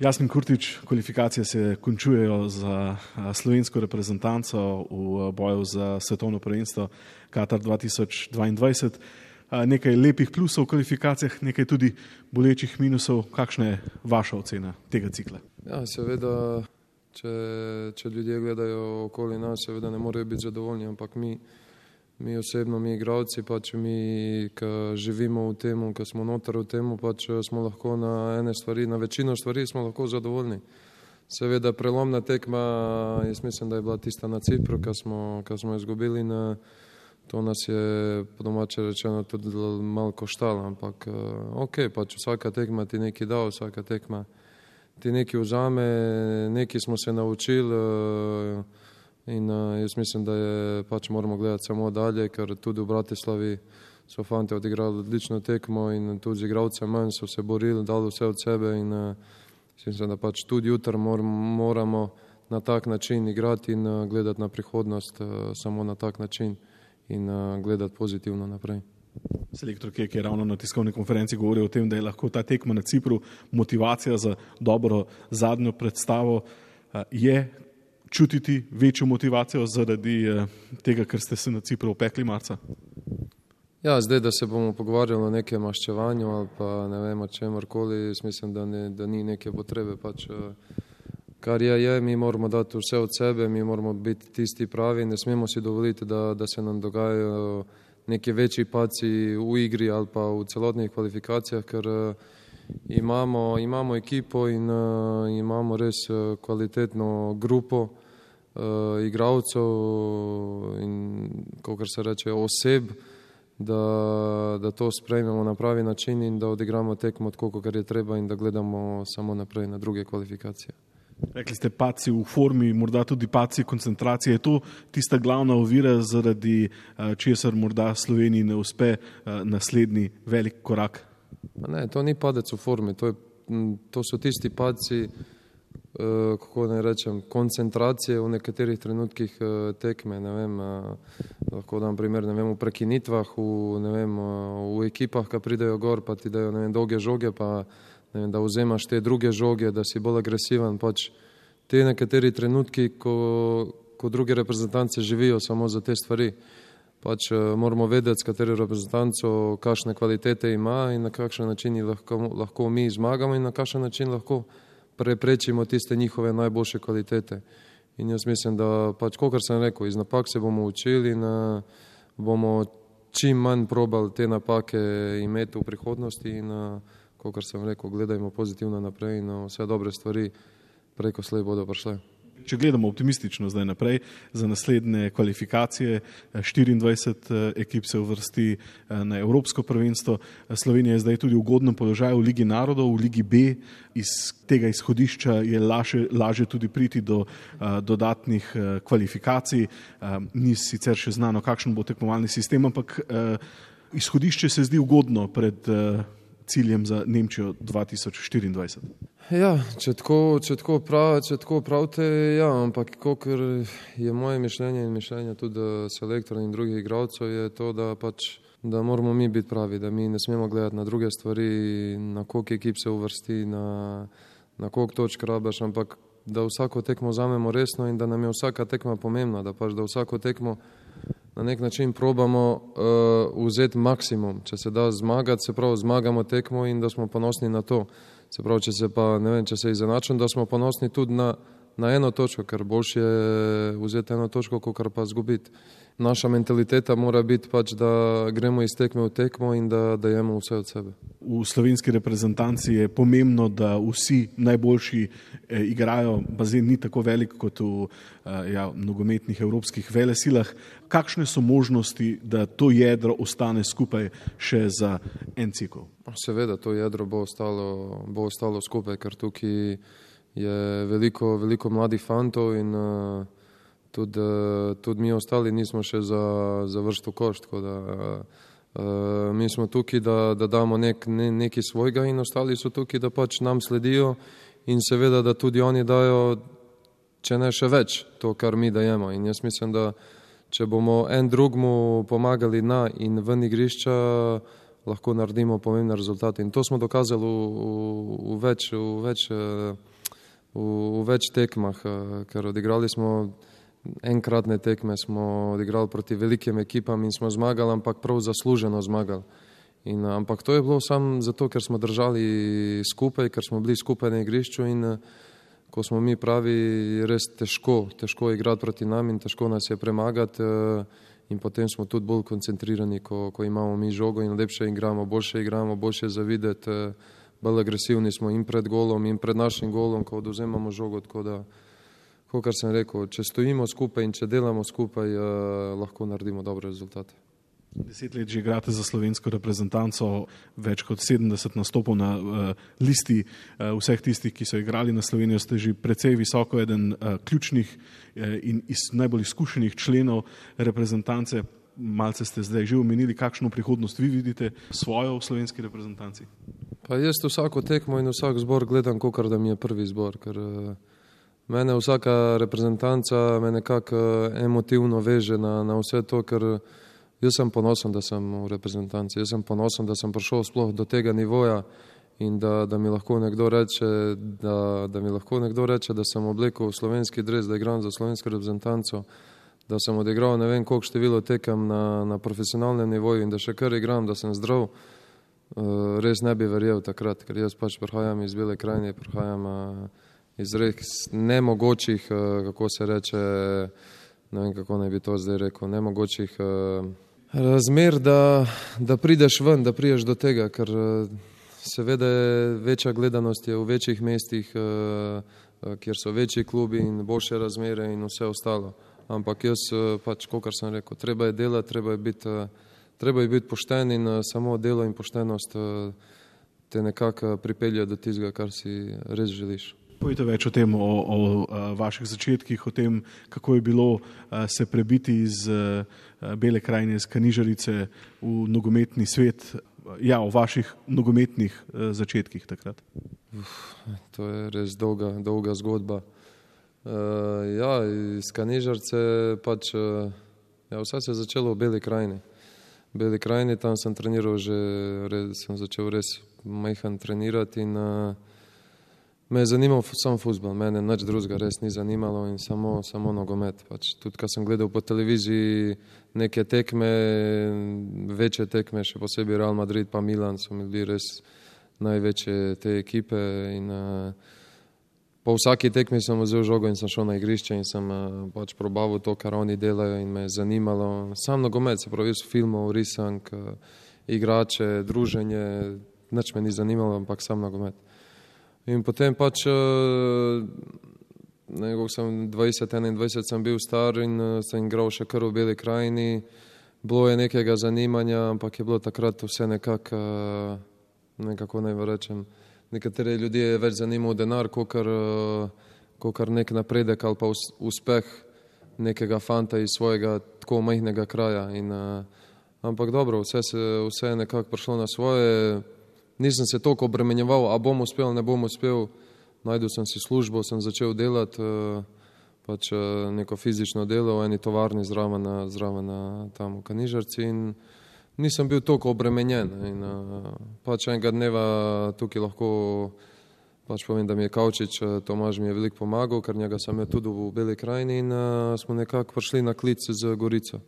Jasmin Kurtič, kvalifikacije se končujejo za slovensko reprezentanco v boju za svetovno prvenstvo Katar 2022. Nekaj lepih plusov v kvalifikacijah, nekaj tudi bolečih minusov. Kakšna je vaša ocena tega cikla? Ja, seveda, če ljudje gledajo okoli nas, seveda ne morejo biti zadovoljni, ampak mi osebno, mi igralci, pač mi, ki živimo v tem, ki smo noter v tem, pač smo lahko na večino stvari smo lahko zadovoljni. Seveda prelomna tekma, jaz mislim, da je bila tista na Cipru, ki smo izgubili, to nas je po domače rečeno tudi malo koštalo, ampak pač vsaka tekma ti nekaj da, vsaka tekma ti nekaj vzame, nekaj smo se naučili. In jaz mislim, da je pač moramo gledati samo dalje, ker tudi v Bratislavi so fanti odigrali odlično tekmo in tudi z igralcem manj so se borili, dali vse od sebe in mislim, da pač tudi jutri moramo na tak način igrati in gledati na prihodnost samo na tak način in gledati pozitivno naprej. Selektor Kek je ravno na tiskovni konferenci govoril o tem, da je lahko ta tekma na Cipru motivacija za dobro zadnjo predstavo. Je čutiti večjo motivacijo zaradi tega, ker ste se na Cipru opekli marca? Ja, zdaj, da se bomo pogovarjali o nekem maščevanju ali pa ne vem o čemorkoli, mislim, da ni neke potrebe. Pač, kar je, mi moramo dati vse od sebe, mi moramo biti tisti pravi, ne smemo si dovoliti, da se nam dogajajo neki večji padci v igri ali pa v celotnih kvalifikacijah, ker imamo ekipo in imamo res kvalitetno grupo igralcev in, kakor se reče, oseb, da to sprejmemo na pravi način in da odigramo tekmo tako, kakor je treba in da gledamo samo naprej na druge kvalifikacije. Rekli ste padci v formi, morda tudi padci koncentracije. Je to tista glavna ovira, zaradi česar morda Sloveniji ne uspe naslednji velik korak? Ne, to ni padec v formi, to so tisti padci, kako ne rečem, koncentracije v nekaterih trenutkih tekme, ne vem, lahko dam primer, ne vem, v prekinitvah, v ekipah, ki pridejo gor, pa ti dajo, ne vem, dolge žoge, pa ne vem, da vzemaš te druge žoge, da si bolj agresiven, pač te nekateri trenutki, ko druge reprezentance živijo samo za te stvari. Pač moramo vedeti, s katero reprezentanco kakšne kvalitete ima in na kakšen način lahko mi zmagamo in na kakšen način lahko preprečimo tiste njihove najboljše kvalitete. In jaz mislim, da pač, kakor sem rekel, iz napak se bomo učili in bomo čim manj probali te napake imeti v prihodnosti in kakor sem rekel, gledajmo pozitivno naprej in vse dobre stvari preko slej bodo prišle. Če gledamo optimistično zdaj naprej za naslednje kvalifikacije, 24 ekip se uvrsti na Evropsko prvenstvo. Slovenija je zdaj tudi v ugodnem položaju v Ligi narodov, v Ligi B. Iz tega izhodišča je lažje tudi priti do dodatnih kvalifikacij. Ni sicer še znano, kakšen bo tekmovalni sistem, ampak izhodišče se zdi ugodno pred ciljem za Nemčijo 2024. Ja, če tako pravite, ja, ampak kakor je moje mišljenje in mišljenje tudi selektorja in drugih igralcev, je to, da moramo mi biti pravi, da mi ne smemo gledati na druge stvari, na koliko ekip se uvrsti, na koliko točk rabiš, ampak da vsako tekmo vzamemo resno in da nam je vsaka tekma pomembna, da vsako tekmo na nek način probamo vzeti maksimum. Če se da zmagati, se pravi zmagamo tekmo in da smo ponosni na to. Se pravi, če se izenačimo, da smo ponosni tudi na eno točko, ker boljše je vzeti eno točko, kot pa izgubiti. Naša mentaliteta mora biti pač, da gremo iz tekme v tekmo in da dajemo vse od sebe. V slovenski reprezentanci je pomembno, da vsi najboljši igrajo. Bazen ni tako velik kot v nogometnih evropskih velesilah. Kakšne so možnosti, da to jedro ostane skupaj še za en cikel? Seveda, to jedro bo ostalo skupaj, ker tukaj je veliko mladih fantov in tudi mi ostali nismo še za vrsto koš, tako da mi smo tukaj, da damo nekaj svojega in ostali so tukaj, da pač nam sledijo in seveda, da tudi oni dajo, če ne še več, to, kar mi dajemo. In jaz mislim, da če bomo en drugmu pomagali na in ven igrišča, lahko naredimo pomembne rezultate. In to smo dokazali v več tekmah, ker odigrali smo enkratne tekme, smo odigrali proti velikim ekipam in smo zmagali, ampak prav zasluženo zmagali. Ampak to je bilo samo zato, ker smo držali skupaj, ker smo bili skupaj na igrišču in ko smo mi pravi, res težko igrati proti nam in težko nas je premagati in potem smo tudi bolj koncentrirani, ko imamo mi žogo in lepše igramo, boljše zavideti, bolj agresivni smo in pred golom in pred našim golom, ko odvzemamo žogo, tako da, kot sem rekel, če stojimo skupaj in če delamo skupaj, lahko naredimo dobre rezultate. 10 let že igrate za slovensko reprezentanco, več kot 70 nastopov na listi vseh tistih, ki so igrali na Slovenijo, ste že precej visoko, eden ključnih in najbolj izkušenih členov reprezentance. Malce ste zdaj že omenili, kakšno prihodnost vi vidite svojo v slovenski reprezentanci? Pa jaz vsako tekmo in vsak zbor gledam, kakor da mi je prvi zbor, ker mene vsaka reprezentanca me nekako emotivno veže na vse to, ker jaz sem ponosen, da sem v reprezentanci, jaz sem ponosen, da sem prišel sploh do tega nivoja in da mi lahko nekdo reče, da sem oblekel slovenski dres, da igram za slovensko reprezentanco, da sem odigral ne vem koliko število tekem na profesionalnem nivoju in da še kar igram, da sem zdrav, res ne bi verjel takrat, ker jaz pač prihajam iz Bele krajine, prihajam iz res nemogočih, kako se reče, ne vem, kako naj bi to zdaj rekel, nemogočih razmer, da prideš ven, da prideš do tega, ker seveda večja gledanost je v večjih mestih, kjer so večji klubi in boljše razmere in vse ostalo. Ampak jaz pač, kakor sem rekel, treba je delati, treba je biti pošten in samo delo in poštenost te nekako pripelje do tistega, kar si res želiš. Povejte več o tem, o vaših začetkih, o tem, kako je bilo se prebiti iz Bele krajine, iz Kanižarice v nogometni svet, o vaših nogometnih začetkih takrat. To je res dolga zgodba. Iz Kanižarice pač, vse se je začelo v Beli krajini. V Beli krajini, tam sem treniral sem začel res majhen trenirati in me je zanimal sam fuzbal, mene nič drugega res ni zanimalo in samo nogomet. Pač, tudi, ko sem gledal po televiziji neke tekme, večje tekme, še posebej Real Madrid pa Milan, so mi bili res največje te ekipe in po vsaki tekmi sem vzel žogo in sem šel na igrišče in sem pač probaval to, kar oni delajo in me je zanimalo. Sam nogomet, se pravi, filmov, risank, igrače, druženje, nič me ni zanimalo, ampak sam nogomet. In potem pač, nekako sem 20-21 sem bil star in sem igral še kar v Beli krajini. Bilo je nekega zanimanja, ampak je bilo takrat vse nekako naj rečem, nekatere ljudi je več zanimal denar, kakor nek napredek ali pa uspeh nekega fanta iz svojega tako majhnega kraja. Ampak dobro, vse je nekako prišlo na svoje. Nisem se toliko obremenjeval, a bom uspel, ne bom uspel. Najdel sem si službo, sem začel delati pač neko fizično delo v eni tovarni zraven tam v Kanižarci in nisem bil toliko obremenjen. In pač enega dneva tukaj lahko pač povem, da mi je Kavčič, Tomaž mi je veliko pomagal, ker njega sem je tudi v Beli krajini in smo nekako prišli na klic z Gorico.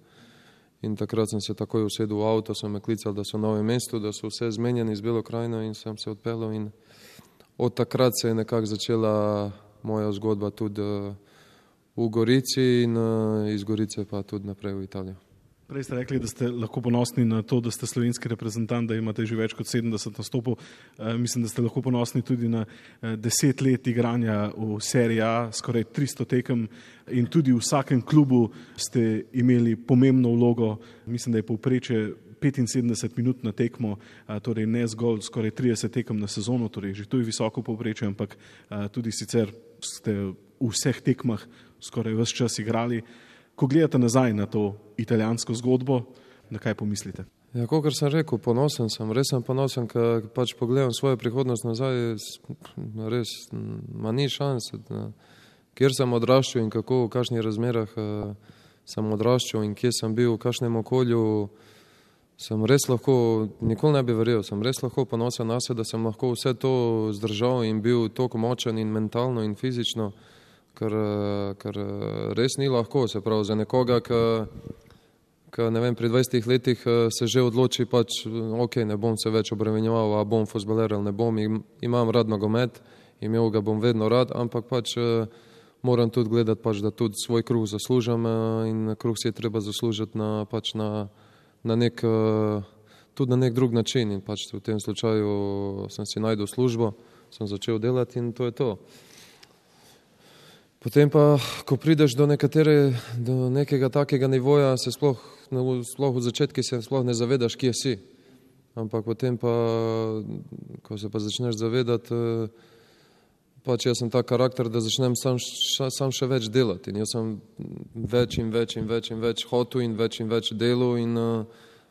In takrat sem se takoj usedel v avto, so me klicali, da so v Novem mestu, da so vse zmenjeni z Belo krajino in sem se odpeljal in od takrat se je nekako začela moja zgodba tudi v Gorici in iz Gorice pa tudi naprej v Italijo. Prej ste rekli, da ste lahko ponosni na to, da ste slovenski reprezentant, da imate že več kot 70 nastopov. Mislim, da ste lahko ponosni tudi na 10 let igranja v Serie A, skoraj 300 tekem in tudi v vsakem klubu ste imeli pomembno vlogo. Mislim, da je povprečje 75 minut na tekmo, torej ne zgolj skoraj 30 tekem na sezono, torej že to je visoko povprečje, ampak tudi sicer ste v vseh tekmah skoraj ves čas igrali. Ko gledate nazaj na to italijansko zgodbo, na kaj pomislite? Ja, kakor sem rekel, ponosen sem, res sem ponosen, ker pač pogledam svojo prihodnost nazaj, res ma ni šans, kjer sem odraščal in kako, v kakšnih razmerah sem odraščal in kje sem bil, v kakšnem okolju, sem res lahko, nikoli ne bi verjel, sem res lahko ponosen na se, da sem lahko vse to zdržal in bil toliko močen in mentalno in fizično, ker res ni lahko, se pravi, za nekoga, ki ne vem, pri 20 letih se že odloči pač, ok, ne bom se več obremenjeval, a bom fuzbaler ali ne bom, imam rad nogomet, imel ga bom vedno rad, ampak pač moram tudi gledati pač, da tudi svoj kruh zaslužim in kruh si je treba zaslužiti tudi na nek drug način in pač v tem slučaju sem si najdel službo, sem začel delati in to je to. Potem pa, ko prideš do nekega takega nivoja, se sploh v začetki se sploh ne zavedaš, kje si. Ampak potem pa, ko se pa začneš zavedati, pač jaz sem tak karakter, da začnem sam še več delati in jaz sem več in več hotel in več delu in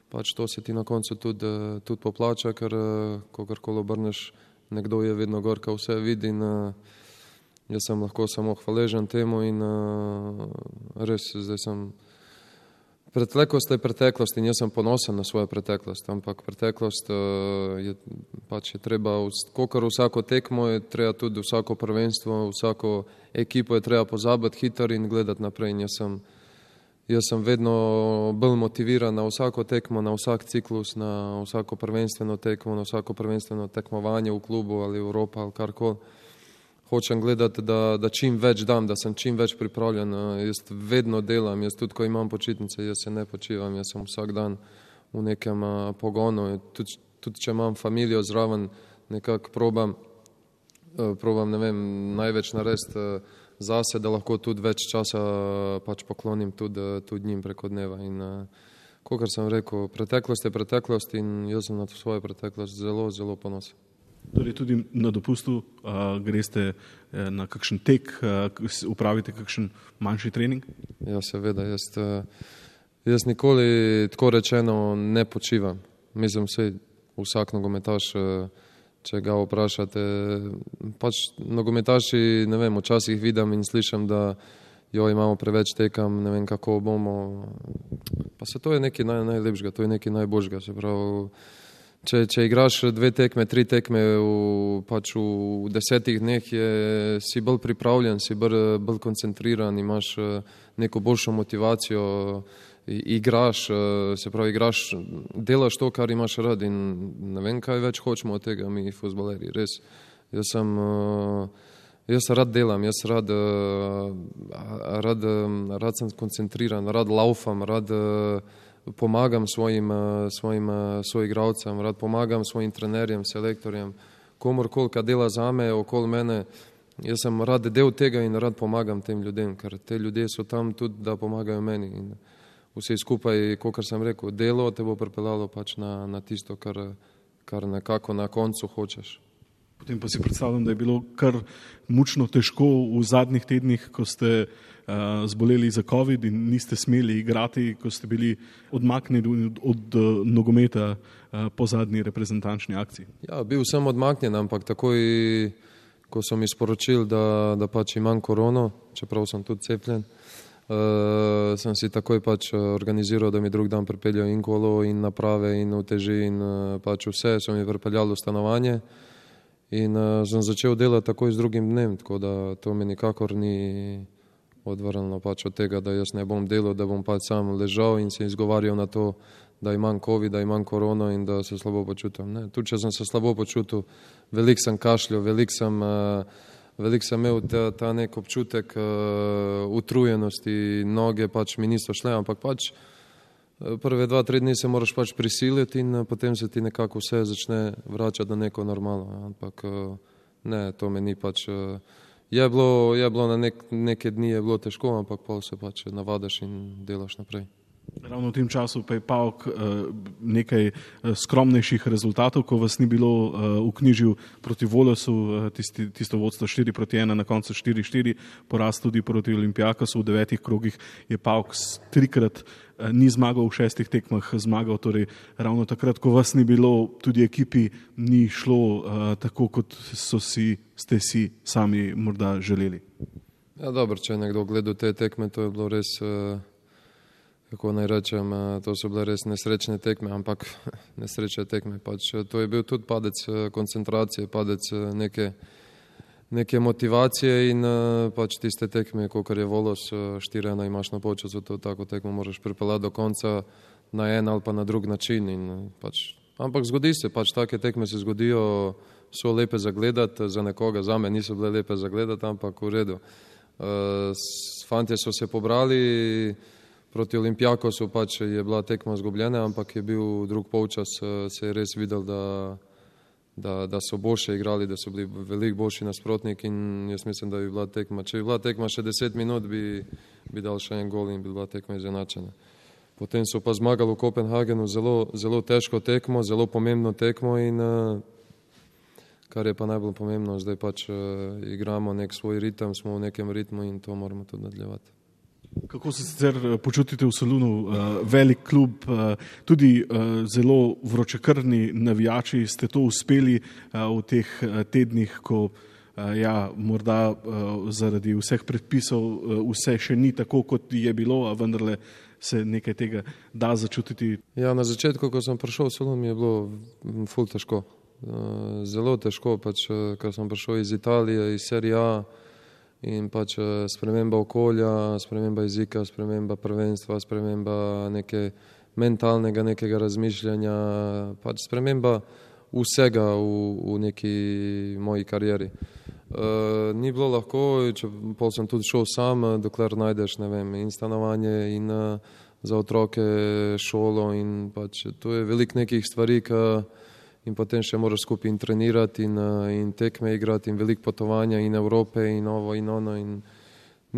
pač to se ti na koncu tudi poplača, ker kogarkoli obrneš, nekdo je vedno gor, ko vse vidi in jaz sem lahko samo hvaležen temu in res zdaj sem preteklost je preteklost in jaz sem ponosen na svojo preteklost, ampak preteklost je treba, kakor vsako tekmo je treba tudi vsako prvenstvo, vsako ekipo je treba pozabiti hitro in gledati naprej in jaz sem vedno bolj motiviran na vsako tekmo, na vsak ciklus, na vsako prvenstveno tekmo, na vsako prvenstveno tekmovanje v klubu ali Evropa ali karkoli. Hočem gledati, da čim več dam, da sem čim več pripravljen. Jaz vedno delam, jaz tudi, ko imam počitnice, jaz se ne počivam, jaz sem vsak dan v nekem pogonu. Tudi če imam familijo zraven, nekako probam, ne vem, največ narediti zase, da lahko tudi več časa pač poklonim tudi njim preko dneva. In kakor sem rekel, preteklost je preteklost in jaz sem na svojo preteklost zelo, zelo ponosen. Torej tudi na dopustu greste na kakšen tek, upravite kakšen manjši trening? Ja, seveda. Jaz nikoli tako rečeno ne počivam. Mislim, vsak nogometaš, če ga vprašate, pač nogometaši, ne vem, včasih vidim in slišim, da imamo preveč tekam, ne vem, kako bomo. Pa se to je nekaj najlepšega, to je nekaj najboljšega, se pravi. Če igraš 2 tekme, 3 tekme v 10 dneh, si bolj pripravljen, si bolj koncentriran, imaš neko boljšo motivacijo, igraš, se pravi, delaš to, kar imaš rad in ne vem, kaj več hočemo od tega mi fuzbalerji, res. Jaz rad delam, rad sem koncentriran, rad laufam, rad pomagam svojim soigralcem, rad pomagam svojim trenerjem, selektorjem, komorkoli, ki dela zame, okoli mene. Jaz sem rad del tega in rad pomagam tem ljudem, ker te ljudje so tam tudi, da pomagajo meni. In vse skupaj, kot sem rekel, delo te bo pripeljalo pač na tisto, kar nekako na koncu hočeš. Potem pa si predstavljam, da je bilo kar mučno težko v zadnjih tednih, ko ste zboleli za COVID in niste smeli igrati, ko ste bili odmaknjeni od nogometa po zadnji reprezentančni akciji. Ja, bil sem odmaknjen, ampak takoj, ko so mi sporočili, da pač imam korono, čeprav sem tudi cepljen, sem si takoj pač organiziral, da mi drug dan pripeljajo in kolo in naprave in uteži in pač vse, so mi pripeljali v stanovanje. In sem začel delati takoj z drugim dnem, tako da to me nikakor ni odvrnilo pač od tega, da jaz ne bom delal, da bom pač sam ležal in se izgovarjal na to, da imam COVID, da imam korono in da se slabo počutim. Ne. Tudi če sem se slabo počutil, veliko sem kašljal, veliko sem imel ta nek občutek utrujenosti, noge pač mi niso šle, ampak pač prve 2-3 dni se moraš pač prisiliti in potem se ti nekako vse začne vračati na neko normalno. Ampak ne, to me ni pač. Je bilo na neke dni je bilo težko, ampak pol se pač navadaš in delaš naprej. Ravno v tem času pa je PAOK nekaj skromnejših rezultatov, ko vas ni bilo vknjižil proti Volosu, tisto vodstvo 4-1, na koncu 4-4, poraz tudi proti Olimpijakosu v 9 krogih je PAOK 3-krat ni zmagal, v 6 tekmah zmagal, torej ravno takrat, ko vas ni bilo, tudi ekipi ni šlo tako, kot ste si sami morda želeli. Ja, dobro, če je nekdo gledal te tekme, to je bilo kako naj rečem, to so bile res nesrečne tekme, ampak nesrečne tekme. Pač, to je bil tudi padec koncentracije, padec neke motivacije in pač tiste tekme, kakor je Volos, 4-1 imaš na polčasu, to tako tekmo moraš pripeljati do konca na en ali pa na drug način. In, pač, ampak zgodi se, pač take tekme se zgodijo, so lepe za gledati, za nekoga, za me niso bile lepe za gledati, ampak v redu. Fantje so se pobrali, proti Olimpijakosu pač je bila tekma izgubljena, ampak je bil drug polčas, se je res videl, da so boljše igrali, da so bili veliko boljši nasprotnik in jaz mislim, da bi bila tekma. Če bi bila tekma še 10 minut, bi dal še en gol in bi bila tekma izenačena. Potem so pa zmagali v Kopenhagenu zelo težko tekmo, zelo pomembno tekmo in kar je pa najbolj pomembno, zdaj pač igramo nek svoj ritem, smo v nekem ritmu in to moramo tudi nadaljevati. Kako se sicer počutite v Solunu? Velik klub, tudi zelo vročekrvni navijači, ste to uspeli v teh tednih, ko morda zaradi vseh predpisov vse še ni tako, kot je bilo, a vendarle se nekaj tega da začutiti? Ja, na začetku, ko sem prišel v Solun, mi je bilo ful težko. Zelo težko, pač, ker sem prišel iz Italije, iz Serie A, in pač sprememba okolja, sprememba jezika, sprememba prvenstva, sprememba mentalnega nekega razmišljanja, pač sprememba vsega v neki moji karieri. Ni bilo lahko, pol sem tudi šel sam, dokler najdeš, ne vem, in stanovanje in za otroke šolo in pač to je veliko nekih stvari, in potem še moraš skupaj in trenirati in tekme igrati in veliko potovanja in Evrope in ovo in ono in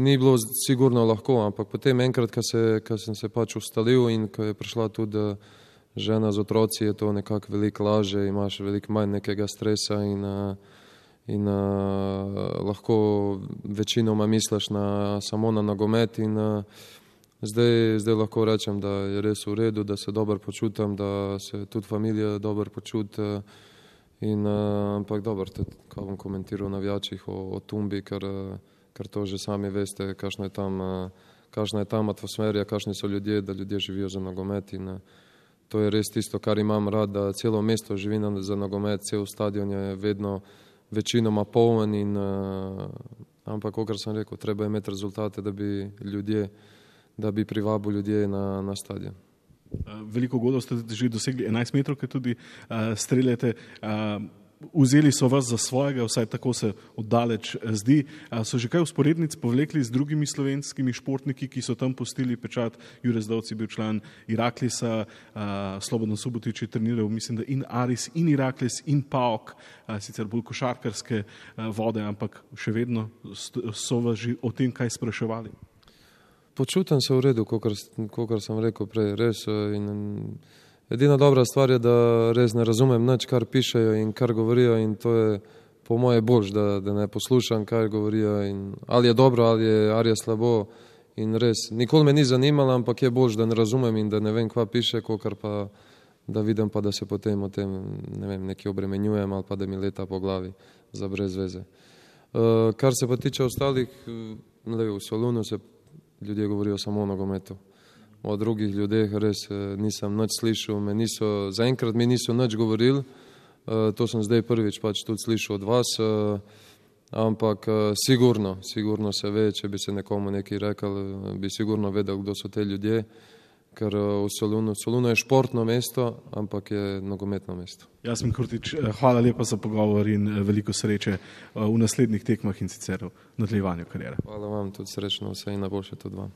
ni bilo sigurno lahko, ampak potem enkrat, ko sem se pač ustalil in ko je prišla tudi žena z otroci, je to nekako veliko laže, imaš veliko manj nekega stresa in lahko večinoma misliš samo na nogomet in zdaj lahko rečem, da je res v redu, da se dobro počutim, da se tudi familija dobro počuti. Ampak dobro, kaj bom komentiral o navijačih, o Tumbi, ker to že sami veste, kakšna je tam atmosfera, kakšni so ljudje, da ljudje živijo za nogomet in to je res tisto, kar imam rad, da celo mesto živi za nogomet, cel stadion je vedno večinoma poln ampak, kakor sem rekel, treba je imeti rezultate, da bi privabil ljudje na stadion. Veliko golov ste že dosegli, 11 metrov, ki tudi streljate. Vzeli so vas za svojega, vsaj tako se oddaleč zdi. So že kaj usporednic povlekli z drugimi slovenskimi športniki, ki so tam pustili pečat? Jure Zdovc je bil član Iraklisa, Slobodan Subotič je treniral, mislim, da in Aris, in Iraklis, in PAOK, sicer bolj košarkarske vode, ampak še vedno so vas že o tem kaj spraševali? Počutim se v redu, kakor sem rekel prej, res. Edina dobra stvar je, da res ne razumem nič, kar pišejo in kar govorijo in to je po moje boljš, da ne poslušam, kaj govorijo in ali je dobro, ali je slabo in res. Nikoli me ni zanimalo, ampak je boljš, da ne razumem in da ne vem, kva piše, kakor pa da vidim pa, da se potem o tem, ne vem, nekaj obremenjujem ali pa da mi leta po glavi za brez veze. Kar se pa tiče ostalih, v Solunu se ljudje govorijo samo o nogometu. O drugih ljudeh res nisem nič slišal, zaenkrat mi niso nič govorili, to sem zdaj prvič pač tudi slišal od vas, ampak sigurno se ve, če bi se nekomu nekaj rekel, bi sigurno vedel, kdo so te ljudje, ker v Solunu je športno mesto, ampak je nogometno mesto. Jasmin Kurtič, hvala lepa za pogovor in veliko sreče v naslednjih tekmah in sicer v nadaljevanju kariere. Hvala vam, tudi srečno, vse in najboljše tudi vam.